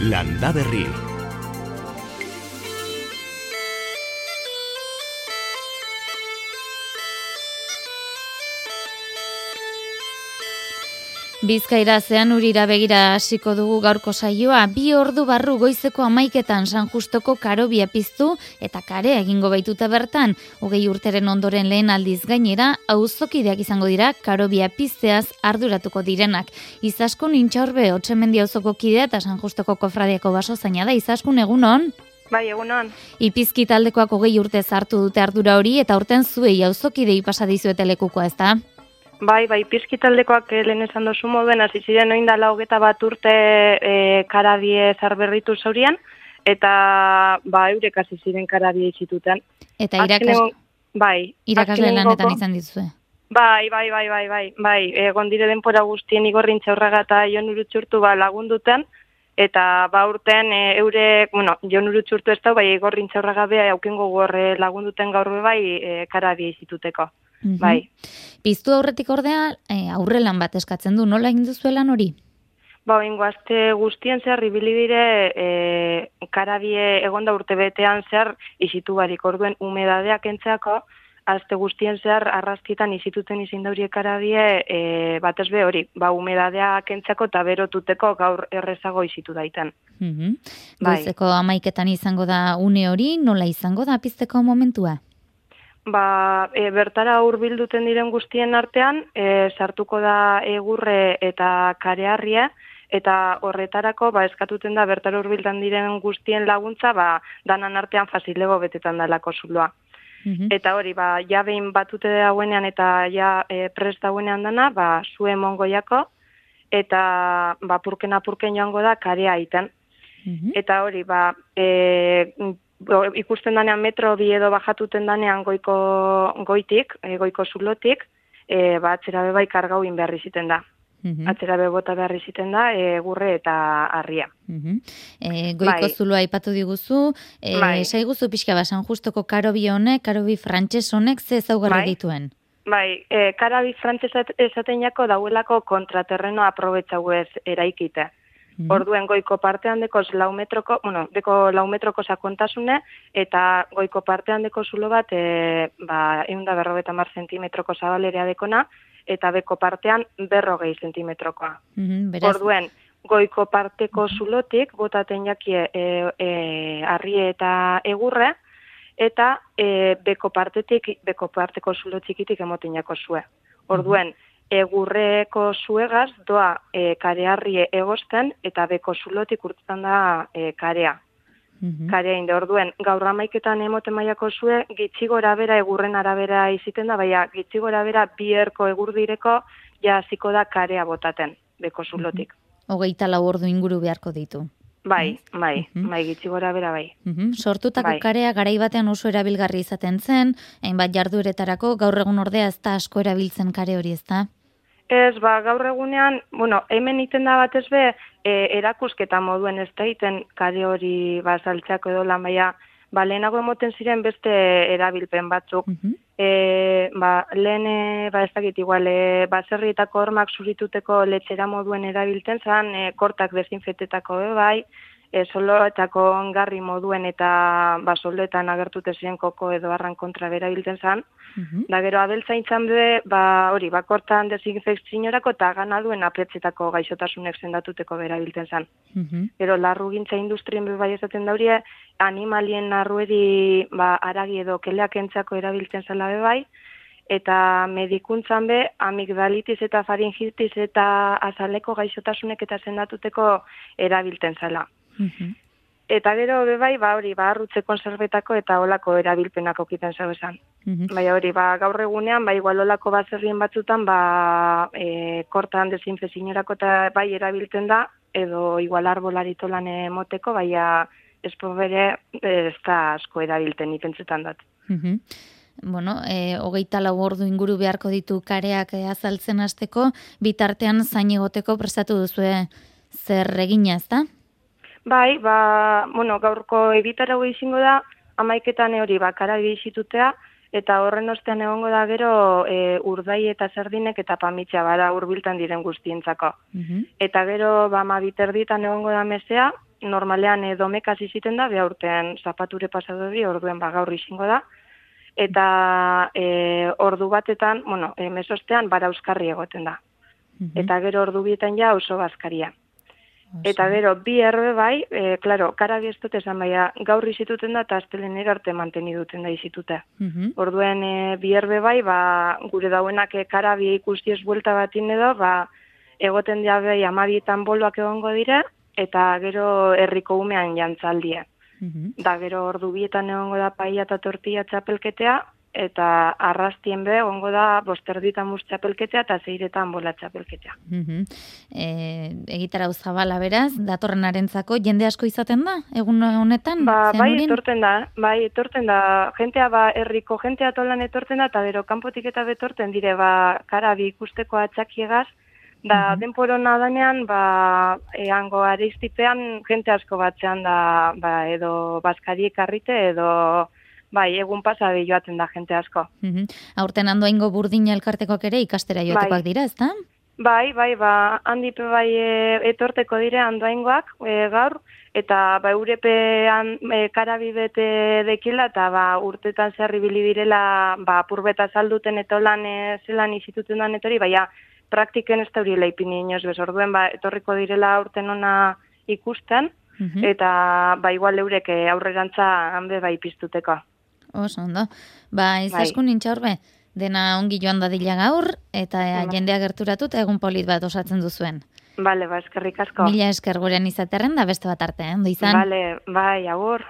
Landaberri. Bizkaira Zeanurira begira hasiko dugu gaurko saioa. 2 ordu barru goizeko 11etan San Justoko karobia piztu eta karea egingo baituta bertan. 20 urteren ondoren lehen aldiz gainera, auzokideak izango dira karobia pizteaz arduratuko direnak. Izaskun Intxaurbe Otxemendi auzoko kidea eta San Justoko kofradiako basozaina da. Izaskun, egunon? Bai, egunon. Ipizki taldekoak 20 urte hartu dute ardura hori eta urten zuei auzokidei pasa dizuete lekukoa, ezta? Bai, pizkitaldekoak lehen esan dozu moduen, hasi ziren oindala 21 urte karabie zarberritu zaurian, eta eurek hasi ziren karabie izituten. Eta irakasle lanetan izan dituzue. Bai, egon dire denpora guztien Igorrintza Urraga eta Jon Urutxurtu lagunduten, eta urten eurek, Jon Urutxurtu ez da, Igorrintza Urraga bea aukengo gorre lagunduten gaur karabie izituteko. Bai. Piztu aurretik ordea, aurrelan bat eskatzen du, nola egin duzu lan hori? Aste guztien zehar ibili dire karabie egonda urte betean zehar izitu barik, orduen humedadea kentzeako, aste guztien zehar arrazkitan izituten izin daurie karabie batez be hori, humedadea kentzeako eta berotuteko gaur errezago izitu daiten. Goizeko 11etan izango da une hori, nola izango da pizteko momentua? Bertara hurbilduten diren guztien artean, sartuko da egurre eta kareharria, eta horretarako eskatuten da bertara hurbildan diren guztien laguntza, danan artean fazilego betetan dalako zuloa. Eta hori, ja behin batute dauenean eta ja prest dauenean dana, zue mongoiako, eta apurken joango da karea iten. Eta hori, ikusten danean metro 2 edo bajatuten danean goitik, goiko zulotik, atzera be kargau in behar iziten da. Atzera be bota behar iziten da, egurre eta harria. Goiko zuloa aipatu diguzu, saiguzu pixka San Justoko karobi honek, karobi frantses honek, ze ezaugarri dituen? Karabi frantses esaten jako dauelako kontraterreno aprobetxau ez eraikite. Orduen goiko partean dekoz 4 metroko sakontasune, eta goiko partean deko zulo bat 150 zentimetroko zabalerea dekona, eta beko partean 40 zentimetrokoa. Orduen, goiko parteko zulotik botaten jakie harrie eta egurre, eta beko parteko zulo txikitik emoten jako zue. Orduen, egurreko zuegaz doa kareharrie egosten eta beko zulotik urtetan da karea. Karea inde, orduen, gaur 11etan emoten maiako zue, gitxigora bera egurren arabera iziten da, gitxigora bera 2 erko egurdireko ja hasiko da karea botaten beko zulotik. 24 ordu inguru beharko ditu. Bai, gitxigora bera bai. Sortutako karea garai batean oso erabilgarri izaten zen, hainbat jardueretarako, gaur egun ordea ez da asko erabiltzen kare hori, ez da? Ez, gaur egunean, hemen iten da batez be, erakusketa moduen ez da iten kare hori saltzeako edo lan, lehenago emoten ziren beste erabilpen batzuk. Lehen, ez dakit igual, baserrietako hormak zurituteko letxera moduen erabiltzen zan, kortak desinfetetako soloetako ongarri moduen eta soloetan agertute ziren koko edo arran kontra berabiltzen zan. Da gero abeltzaintzan be, kortan desinfekziorako eta ganaduen apretzetako gaixotasunek zendatuteko berabiltzen zan. Gero larrugintza industrien be bai esaten daurie, animalien narrueri aragi edo keleak entzako erabiltzen zela be bai, eta medikuntzan be, amigdalitis eta faringitis eta azaleko gaixotasunek eta zendatuteko erabiltzen zela. Eta gero bebai, arrutze konservetako eta olako erabilpenako kiten zau esan. Gaur egunean, igual olako baserrien batzutan, kortan desinfekziorako eta erabiltzen da, edo igual arbolaritolan emoteko, espo bere ez da asko erabilten ipentzetan dat. 24 ordu inguru beharko ditu kareak azaltzen hasteko, bitartean zain egoteko prestatu duzue zer egina, ez da? Gaurko egitarago izango da, 11etan hori karabi izitutea, eta horren ostean egongo da gero urdai eta sardinek eta pamitxa hurbiltan diren guztientzako. Eta gero 12 erditan egongo da mesea, normalean domekaz iziten da, be aurten zapature pasatu hori, orduen gaur izango da. Eta ordu batetan, mesostean bara euskarri egoten da. Eta gero ordu bietan ja oso bazkaria. Eta gero bi erbe bai, klaro, karabi ez dut esan baina gaur izituten da eta astelenera arte manteni duten da izitute. Orduen bi erbe bai, gure dauenak karabi ikusti ez buelta batin edo, egoten dira bai 12etan boloak egongo dira, eta gero herriko umean jantzaldia. Da gero ordu bietan egongo da paia eta tortilla txapelketea, eta arrastien be egongo da 5:30 mus txapelketea eta 6:00 bola txapelketea. Egitarau zabala beraz, datorrenarentzako jende asko izaten da, egun honetan? Bai, etorten da, jentea herriko jentea tolan etorten da, eta gero kanpotik eta betorten dire, karabi ikusteko atxakiegaz, da denporona danean, hango areistipean jente asko batzean da, edo bazkariek arrite, edo egun pasabe joaten da jente asko. Aurten Andoaingo Burdina elkartekoak ere ikastera joatekoak dira, ezta? Bai, handipe etorteko dire Andoaingoak gaur, eta eurepean karabi bete dekila, eta urtetan zerri bili direla, apurbeta salduten etolan zelan izituten dan etori, baina praktiken ez da hori leipini inoz bez, orduen etorriko direla urten ona ikusten, eta igual eurek aurrerantza hanbe piztuteko. Oso, ondo. Izaskun nintxaurbe, dena ongi joan dadila gaur, eta jendea gerturatu eta egun polit bat osatzen duzuen. Bale, eskerrik asko. Mila esker gurean izaterren da beste bat arte, ondo izan? Bale, agur.